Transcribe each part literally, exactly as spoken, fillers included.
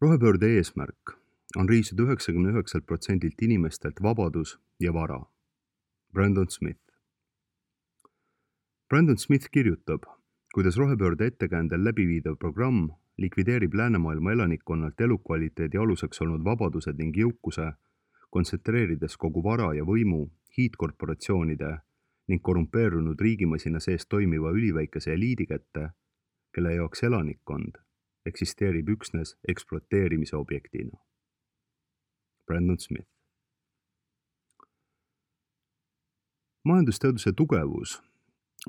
Rohepöörde eesmärk on riisuda üheksakümne üheksalt protsendilt inimestelt vabadus ja vara. Brandon Smith. Brandon Smith kirjutab, kuidas rohepöörde ettekäändel läbiviidav programm likvideerib läänemaailma elanikkonnalt elukvaliteedi aluseks olnud vabadused ning jõukuse, kontsentreerides kogu vara ja võimu hiidkorporatsioonide ning korrumpeerunud riigimasina sees toimiva üliväikese eliidi kätte, kelle jaoks elanikkond eksisteerib üksnes ekspluateerimise objektina. Brandon Smith. Majandusteaduse tugevus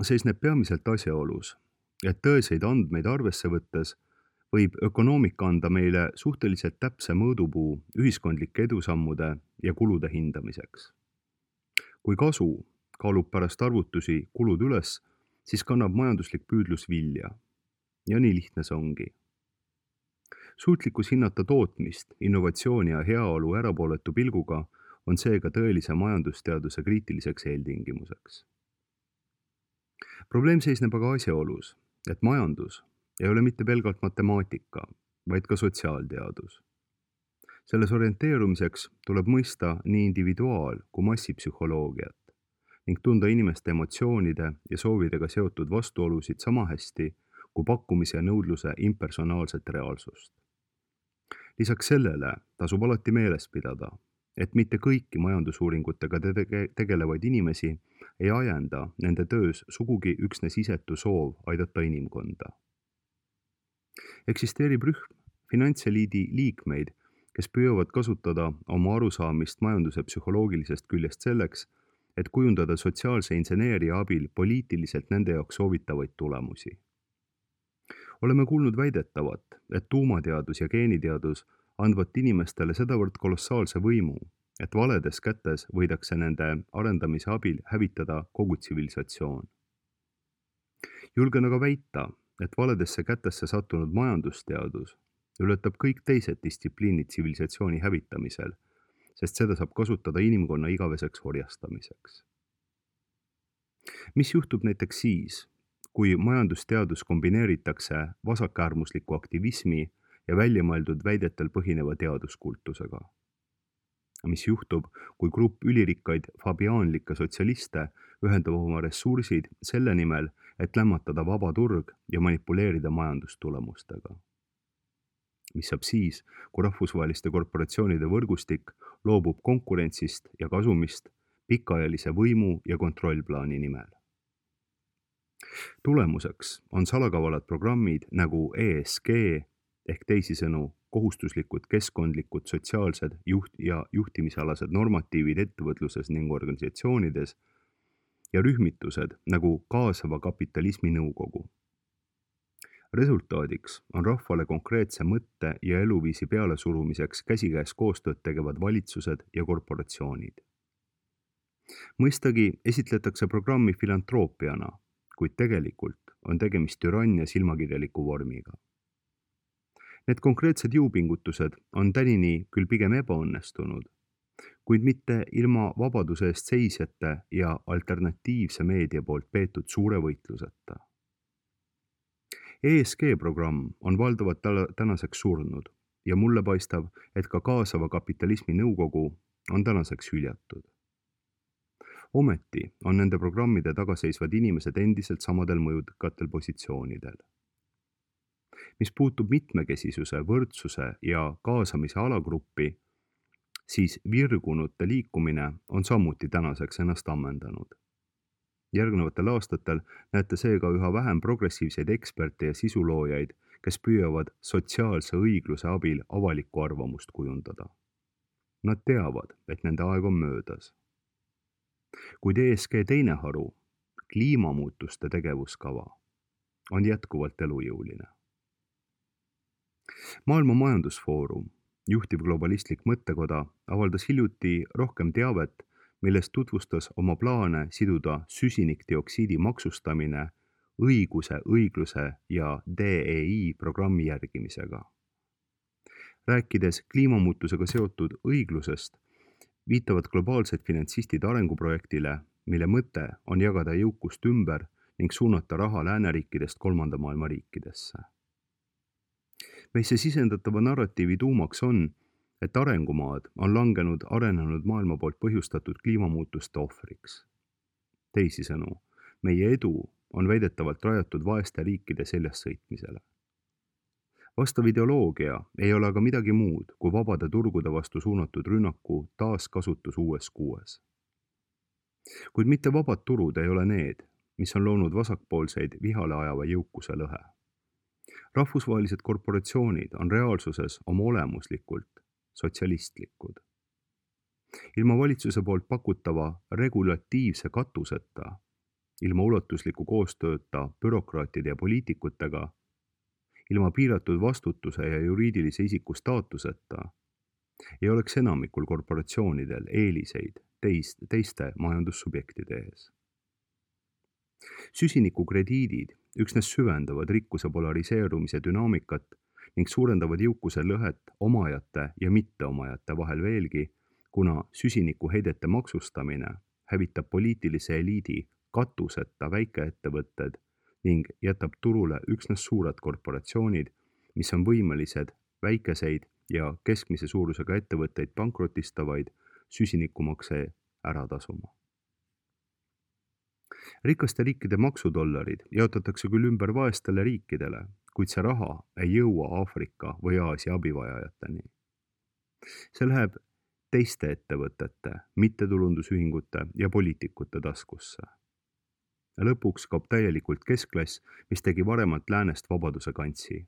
seisneb peamiselt asjaolus, et tõeseid andmeid arvesse võttes võib ökonoomika anda meile suhteliselt täpse mõõdupuu ühiskondlike edusammude ja kulude hindamiseks. Kui kasu kaalub pärast arvutusi kulud üles, siis kannab majanduslik püüdlus vilja. Ja nii lihtne see ongi. Suutlikkus hinnata tootmist, innovatsiooni ja heaolu erapooletu pilguga on seega tõelise majandusteaduse kriitiliseks eeltingimuseks. Probleem seisneb aga asjaolus, et majandus ei ole mitte pelgalt matemaatika, vaid ka sotsiaalteadus. Selles orienteerumiseks tuleb mõista nii individuaal- kui massipsühholoogiat ning tunda inimeste emotsioonide ja soovidega seotud vastuolusid sama hästi kui pakkumise ja nõudluse impersonaalset reaalsust. Lisaks sellele tasub alati meeles pidada, et mitte kõiki majandusuuringutega tege- tegelevaid inimesi ei ajenda nende töös sugugi üksnes isetu soov aidata inimkonda. Eksisteerib rühm finantseliidi liikmeid, kes püüavad kasutada oma arusaamist majanduse psühholoogilisest küljest selleks, et kujundada sotsiaalse inseneeria abil poliitiliselt nende jaoks soovitavaid tulemusi. Oleme kuulnud väidetavat, et tuumateadus ja geeniteadus andvat inimestele sedavõrd kolossaalse võimu, et valedes kätes võidakse nende arendamise abil hävitada kogu tsivilisatsioon. Julgen aga väita, et valedesse kätesse sattunud majandusteadus ületab kõik teised distsipliinid tsivilisatsiooni hävitamisel, sest seda saab kasutada inimkonna igaveseks orjastamiseks. Mis juhtub näiteks siis, kui majandusteadus kombineeritakse vasakäärmusliku aktivismi ja väljamõeldud väidetel põhineva teaduskultusega? Mis juhtub, kui grupp ülirikkaid fabiaanlikke sotsialiste ühendab oma ressursid selle nimel, et lämmatada vaba turg ja manipuleerida majandustulemustega? Mis saab siis, kui rahvusvaheliste korporatsioonide võrgustik loobub konkurentsist ja kasumist pikaajalise võimu ja kontrollplaani nimel? Tulemuseks on salakavalad programmid nagu E S G ehk teisisõnu kohustuslikud keskkondlikud, sotsiaalsed juht- ja juhtimisalased normatiivid ettevõtluses ning organisatsioonides ja rühmitused nagu kaasava kapitalismi nõukogu. Resultaadiks on rahvale konkreetse mõtte ja eluviisi pealesurumiseks käsikäes koostööd tegevad valitsused ja korporatsioonid. Mõistagi esitletakse programmi filantroopiana, kuid tegelikult on tegemist türannia silmakirjaliku vormiga. Need konkreetsed jõupingutused on tänini küll pigem ebaõnnestunud, kuid mitte ilma vabaduse eest seisjate ja alternatiivse meedia poolt peetud suure võitluseta. E S G programm on valdavalt tänaseks surnud ja mulle paistab, et ka kaasava kapitalismi nõukogu on tänaseks hüljatud. Ometi on nende programmide tagaseisvad inimesed endiselt samadel mõjukatel positsioonidel. Mis puutub mitmekesisuse, võrdsuse ja kaasamise alagruppi, siis virgunute liikumine on samuti tänaseks ennast ammendanud. Järgnevatel aastatel näete seega üha vähem progressiivseid eksperte ja sisuloojaid, kes püüavad sotsiaalse õigluse abil avalikku arvamust kujundada. Nad teavad, et nende aeg on möödas. Kuid E S G teine haru, kliimamuutuste tegevuskava, on jätkuvalt elujõuline. Maailma Majandusfoorum, juhtiv globalistlik mõttekoda, avaldas hiljuti rohkem teavet, milles tutvustas oma plaane siduda süsinikdioksiidi maksustamine õiguse, õigluse ja D E I programmi järgimisega. Rääkides kliimamuutusega seotud õiglusest, viitavad globaalsed finantsistid arenguprojektile, mille mõte on jagada jõukust ümber ning suunata raha lääneriikidest kolmanda maailma riikidesse. meisse sisendatava narratiivi tuumaks on, et arengumaad on langenud arenenud maailma poolt põhjustatud kliimamuutuste ohvriks. Teisisõnu, meie edu on väidetavalt rajatud vaeste riikide seljas sõitmisele. Vastav ideoloogia ei ole aga midagi muud kui vabade turgude vastu suunatud rünnaku taaskasutus uues kuues. Kuid mitte vabad turud ei ole need, mis on loonud vasakpoolseid vihale ajava jõukuse lõhe. Rahvusvahelised korporatsioonid on reaalsuses oma olemuslikult sotsialistlikud. Ilma valitsuse poolt pakutava regulatiivse katuseta, ilma ulatusliku koostööta bürokraatide ja poliitikutega, ilma piiratud vastutuse ja juriidilise isiku staatuseta ei oleks enamikul korporatsioonidel eeliseid teist, teiste majandussubjektide ees. Süsinikukrediidid üksnes süvendavad rikkuse polariseerumise dünaamikat ning suurendavad jõukuse lõhet omajate ja mitteomajate vahel veelgi, kuna süsinikuheidete maksustamine hävitab poliitilise eliidi katuseta väikeettevõtted ning jätab turule üksnes suured korporatsioonid, mis on võimelised väikeseid ja keskmise suurusega ettevõtteid pankrotistavaid süsinikumakse ära tasuma. Rikaste riikide maksudollarid jaotatakse küll ümber vaestele riikidele, kuid see raha ei jõua Aafrika või Aasia abivajajateni. See läheb teiste ettevõtete, mittetulundusühingute ja poliitikute taskusse. Lõpuks kaob täielikult keskklass, mis tegi varemalt läänest vabaduse kantsi.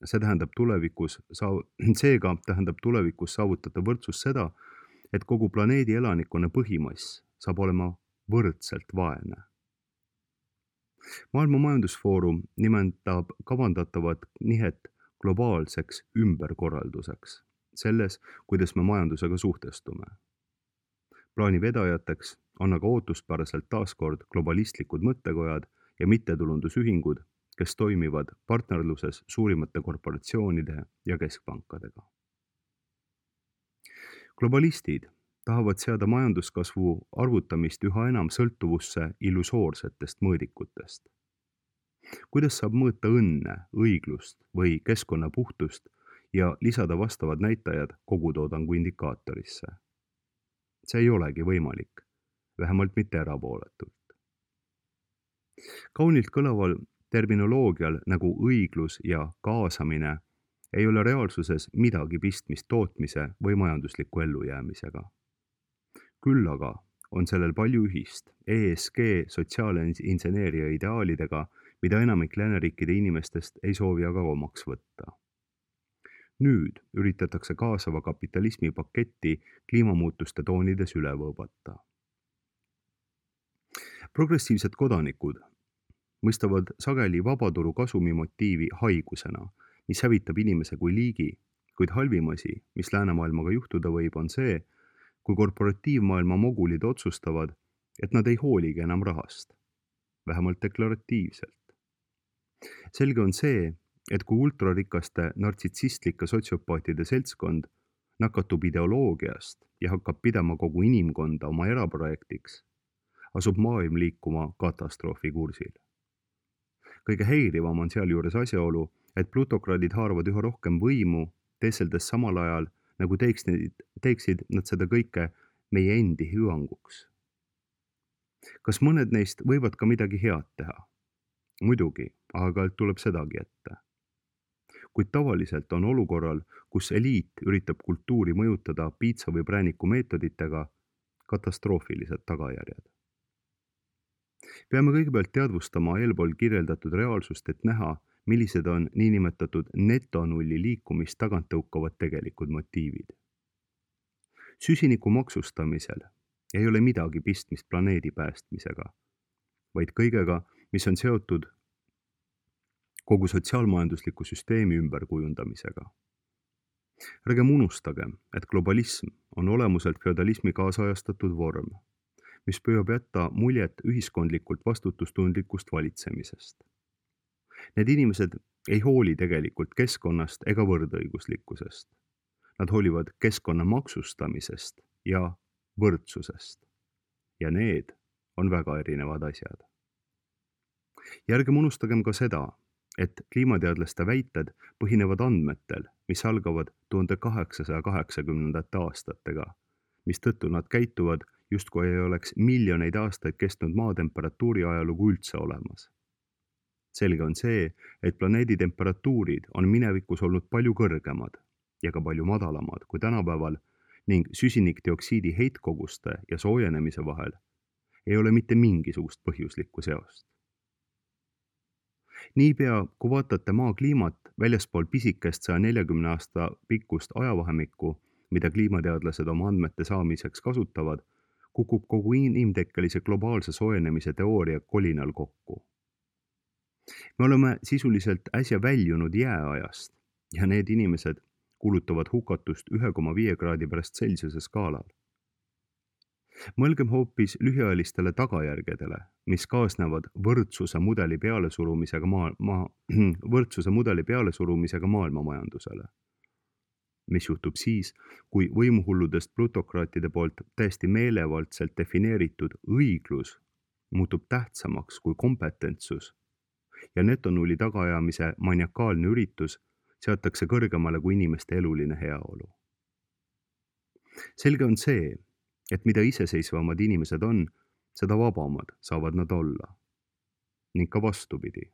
See tähendab tulevikus, seega tähendab tulevikus saavutatav võrdsus seda, et kogu planeedi elanikkonna põhimass saab olema võrdselt vaene. Maailma Majandusfoorum nimetab kavandatavat nihet globaalseks ümberkorralduseks, selles, kuidas me majandusega suhtestume. Plaani vedajateks on aga ootuspäraselt taaskord globalistlikud mõttekojad ja mittetulundusühingud, kes toimivad partnerluses suurimate korporatsioonide ja keskpankadega. Globalistid tahavad seada majanduskasvu arvutamist üha enam sõltuvusse illusoorsetest mõõdikutest. Kuidas saab mõõta õnne, õiglust või keskkonna puhtust ja lisada vastavad näitajad kogutoodangu indikaatorisse? See ei olegi võimalik, vähemalt mitte erapooletult. Kaunilt kõlaval terminoloogial nagu õiglus ja kaasamine ei ole reaalsuses midagi pistmist tootmise või majandusliku ellujäämisega. Küll aga on sellel palju ühist E S G sotsiaalinseneeria ideaalidega, mida enamik lääneriikide inimestest ei soovi aga omaks võtta. Nüüd üritatakse kaasava kapitalismi paketti kliimamuutuste toonides üle võõbata. Progressiivsed kodanikud mõistavad sageli vabaturu kasumi motiivi haigusena, mis hävitab inimese kui liigi, kuid halvim asi, mis läänemaailmaga juhtuda võib, on see, kui korporatiivmaailma mogulid otsustavad, et nad ei hooligi enam rahast, vähemalt deklaratiivselt. Selge on see, et kui ultrarikaste nartsitsistlike sotsiopaatide seltskond nakatub ideoloogiast ja hakkab pidama kogu inimkonda oma eraprojektiks, asub maailm liikuma katastroofi kursil. Kõige häirivam on sealjuures asjaolu, et plutokraadid haaravad üha rohkem võimu, teeseldes samal ajal, nagu teeksid, teeksid nad seda kõike meie endi hüvanguks. Kas mõned neist võivad ka midagi head teha? Muidugi, aga tuleb sedagi ette. Kuid tavaliselt on olukorral, kus eliit üritab kultuuri mõjutada piitsa või prääniku meetoditega, katastroofilised tagajärjed. Peame kõigepealt teadvustama eelpool kirjeldatud reaalsust, et näha, millised on niinimetatud netonulli liikumist tagant tõukavad tegelikud motiivid. Süsiniku maksustamisel ei ole midagi pistmist planeedi päästmisega, vaid kõigega, mis on seotud kogu sotsiaalmajandusliku süsteemi ümberkujundamisega. Ärgem unustagem, et globalism on olemuselt feodalismi kaasajastatud vorm, mis püüab jätta muljet ühiskondlikult vastutustundlikust valitsemisest. Need inimesed ei hooli tegelikult keskkonnast ega võrdõiguslikkusest. Nad hoolivad keskkonna maksustamisest ja võrdsusest. Ja need on väga erinevad asjad. Ja ärgem unustagem ka seda, et kliimateadlaste väited põhinevad andmetel, mis algavad tuhande kaheksasaja kaheksakümnendate aastatega, mistõttu nad käituvad justkui ei oleks miljoneid aastaid kestnud maatemperatuuri ajalugu üldse olemas. Selge on see, et planeedi temperatuurid on minevikus olnud palju kõrgemad ja ka palju madalamad kui tänapäeval ning süsinikdioksiidi heitkoguste ja soojenemise vahel ei ole mitte mingisugust põhjuslikku seost. Niipea, kui vaatate maa kliimat väljaspool pisikest saja neljakümne aasta pikkust ajavahemikku, mida kliimateadlased oma andmete saamiseks kasutavad, kukub kogu inimtekkelise globaalse soojenemise teooria kolinal kokku. Me oleme sisuliselt äsja väljunud jääajast ja need inimesed kulutavad hukatust üks koma viis kraadi pärast Celsiuse skaalal. Mõelgem hoopis lühiajalistele tagajärgedele, mis kaasnevad võrdsuse mudeli pealesurumisega, maa, maa, võrdsuse mudeli pealesurumisega maailmamajandusele. Mis juhtub siis, kui võimuhulludest plutokraatide poolt täiesti meelevaldselt defineeritud õiglus muutub tähtsamaks kui kompetentsus ja netonulli tagaajamise maniakaalne üritus seatakse kõrgemale kui inimeste eluline heaolu. Selge on see, et mida iseseisvamad inimesed on, seda vabamad saavad nad olla. Ning ka vastupidi,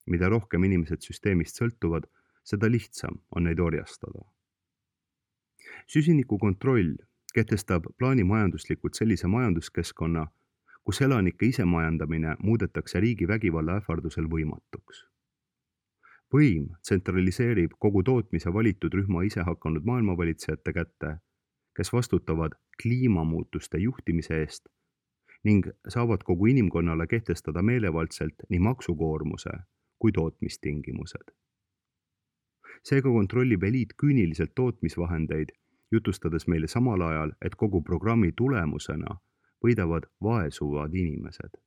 mida rohkem inimesed süsteemist sõltuvad, seda lihtsam on neid orjastada. Süsiniku kontroll kehtestab plaanimajanduslikult sellise majanduskeskkonna, kus elanike isemajandamine muudetakse riigi vägivalla ähvardusel võimatuks. Võim tsentraliseerib kogu tootmise valitud rühma ise hakanud maailmavalitsejate kätte, kes vastutavad kliimamuutuste juhtimise eest ning saavad kogu inimkonnale kehtestada meelevaldselt nii maksukoormuse kui tootmistingimused. Seega kontrollib eliit küüniliselt tootmisvahendeid, jutustades meile samal ajal, et kogu programmi tulemusena võidavad vaesuvad inimesed.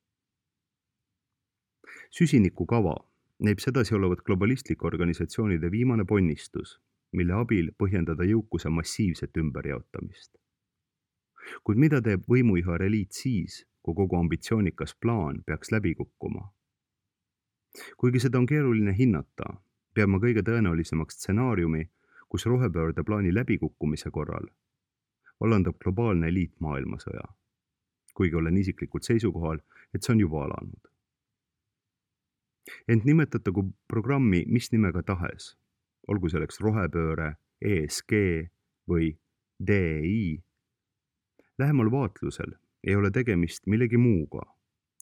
Süsinikukava näib sedasi olevat globalistlike organisatsioonide viimane ponnistus, mille abil põhjendada jõukuse massiivset ümberjaotamist. Kuid mida teeb võimuihar eliit siis, kui kogu ambitsioonikas plaan peaks läbi kukkuma? Kuigi seda on keeruline hinnata, peab ma kõige tõenäolisemaks stsenaariumi, kus rohepöörde plaani läbikukkumise korral vallandab globaalne eliit maailmasõja, kuigi olen isiklikult seisukohal, et see on juba alanud. Ent nimetatagu programmi mis nimega tahes, olgu selleks rohepööre, E S G või D E I, lähemal vaatlusel ei ole tegemist millegi muuga,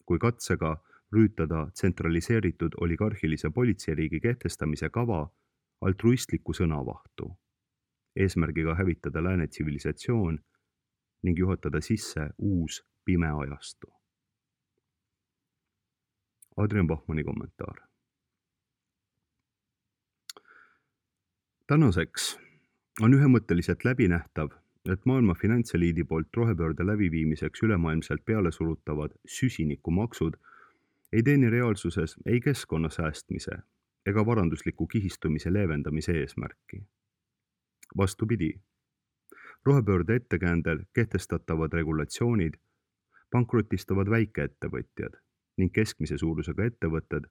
kui katsega rüütada tsentraliseeritud oligarhilise politseiriigi kehtestamise kava altruistliku sõnavahtu, eesmärgiga hävitada lääne tsivilisatsioon ning juhatada sisse uus pime ajastu. Adrian Bachmanni kommentaar. Tänaseks on ühemõtteliselt läbinähtav, et maailma finantseliidi poolt rohepöörde läbiviimiseks ülemaailmselt peale surutavad süsinikumaksud ei teeni reaalsuses ei keskkonna säästmise ega varandusliku kihistumise leevendamise eesmärki. Vastupidi, rohepöörde ettekäändel kehtestatavad regulatsioonid pankrotistavad väikeettevõtjad ning keskmise suurusega ettevõtted,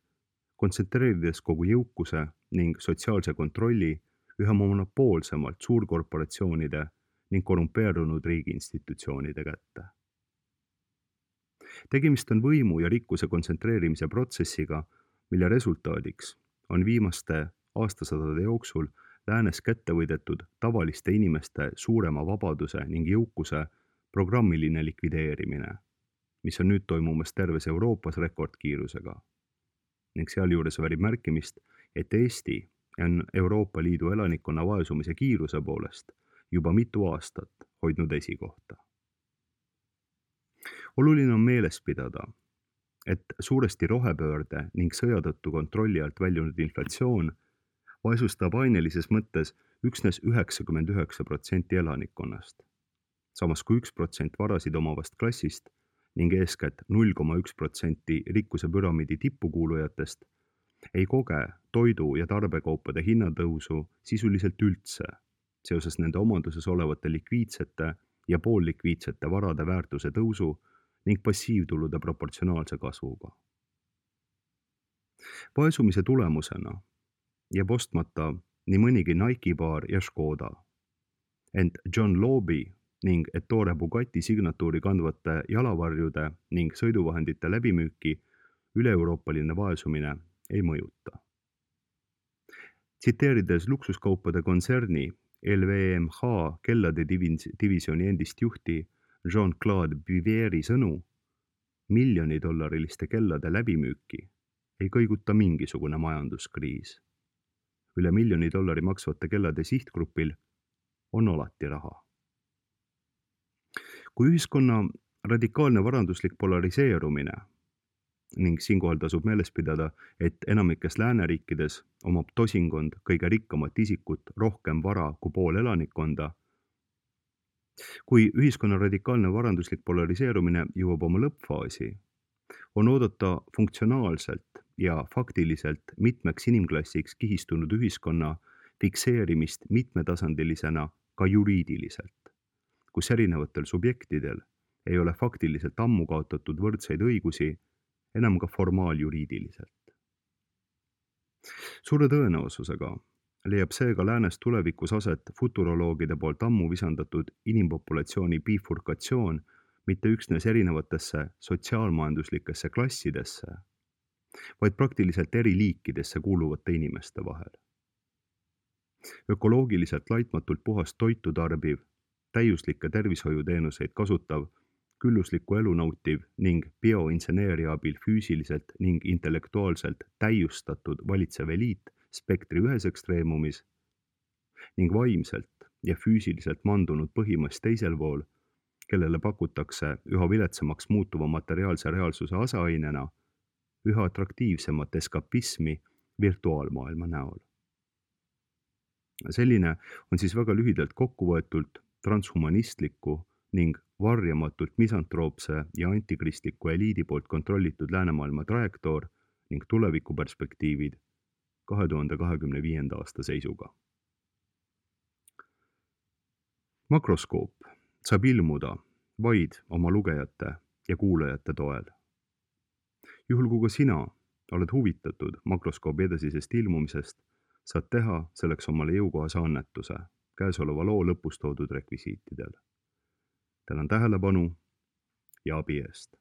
kontsentreerides kogu jõukuse ning sotsiaalse kontrolli üha monopoolsemalt suurkorporatsioonide ning korrumpeerunud riigiinstitutsioonide kätte. Tegemist on võimu ja rikkuse kontsentreerimise protsessiga, mille resultaadiks on viimaste aastasadade jooksul läänes kätte võidetud tavaliste inimeste suurema vabaduse ning jõukuse programmiline likvideerimine, mis on nüüd toimumas terves Euroopas rekordkiirusega. Ning sealjuures väärib märkimist, et Eesti on Euroopa Liidu elanikkonna vaesumise kiiruse poolest juba mitu aastat hoidnud esikohta. Oluline on meeles pidada, et suuresti rohepöörde ning sõja tõttu kontrolli alt väljunud inflatsioon vaesustab ainelises mõttes üksnes üheksakümmend üheksa protsenti elanikkonnast, samas kui üks protsent varasid omavast klassist ning eeskätt null koma üks protsenti rikkuse püramiidi tippukuulujatest ei koge toidu- ja tarbekaupade hinnatõusu sisuliselt üldse seoses nende omanduses olevate likviidsete ja poollikviidsete varade väärtuse tõusu ning passiivtulude proportsionaalse kasvuga. vaesumise tulemusena jääb ostmata nii mõnigi Nike baar ja Škoda. Ent John Loebi ning Ettore Bugatti signatuuri kandvate jalavarjude ning sõiduvahendite läbimüüki üle-euroopaline vaesumine ei mõjuta. Tsiteerides luksuskaupade kontserni L V M H kellade divisjoni endist juhti Jean-Claude Biveri sõnu, miljonidollariliste kellade läbimüüki ei kõiguta mingisugune majanduskriis. Üle miljoni dollari maksvate kellade sihtgrupil on alati raha. Kui ühiskonna radikaalne varanduslik polariseerumine ning siinkohal tasub meeles pidada, et enamikes lääneriikides omab tosingond kõige rikkamat isikut rohkem vara kui pool elanikkonda. Kui ühiskonna radikaalne varanduslik polariseerumine jõuab oma lõppfaasi, on oodata funktsionaalselt ja faktiliselt mitmeks inimklassiks kihistunud ühiskonna fikseerimist mitmetasandilisena ka juriidiliselt, kus erinevatel subjektidel ei ole faktiliselt ammu kaotatud võrdseid õigusi, enam ka formaaljuriidiliselt. Suure tõenäosusega leiab seega läänes tulevikus aset futuroloogide poolt ammu visandatud inimpopulatsiooni bifurkatsioon mitte üksnes erinevatesse sotsiaalmajanduslikesse klassidesse, vaid praktiliselt eri liikidesse kuuluvate inimeste vahel. Ökoloogiliselt laitmatult puhast toitu tarbiv, täiuslikke tervishoiuteenuseid kasutav, külluslikku elu nautiv ning bioinseneeria abil füüsiliselt ning intellektuaalselt täiustatud valitsev eliit spektri ühes ekstreemumis ning vaimselt ja füüsiliselt mandunud põhimass teisel pool, kellele pakutakse üha viletsamaks muutuva materiaalse reaalsuse aseainena üha atraktiivsemat eskapismi virtuaalmaailma näol. Selline on siis väga lühidalt kokkuvõetult transhumanistliku ning varjamatult misantroopse ja antikristliku eliidi poolt kontrollitud läänemaailma trajektoor ning tulevikuperspektiivid kahe tuhande kahekümne viienda aasta seisuga. Makroskoop saab ilmuda vaid oma lugejate ja kuulajate toel. Juhul kui ka sina oled huvitatud makroskoobi edasisest ilmumisest, saad teha selleks omale jõukohase annetuse käesoleva loo lõpus toodud rekvisiitidel. Tänan tähelepanu ja abi eest.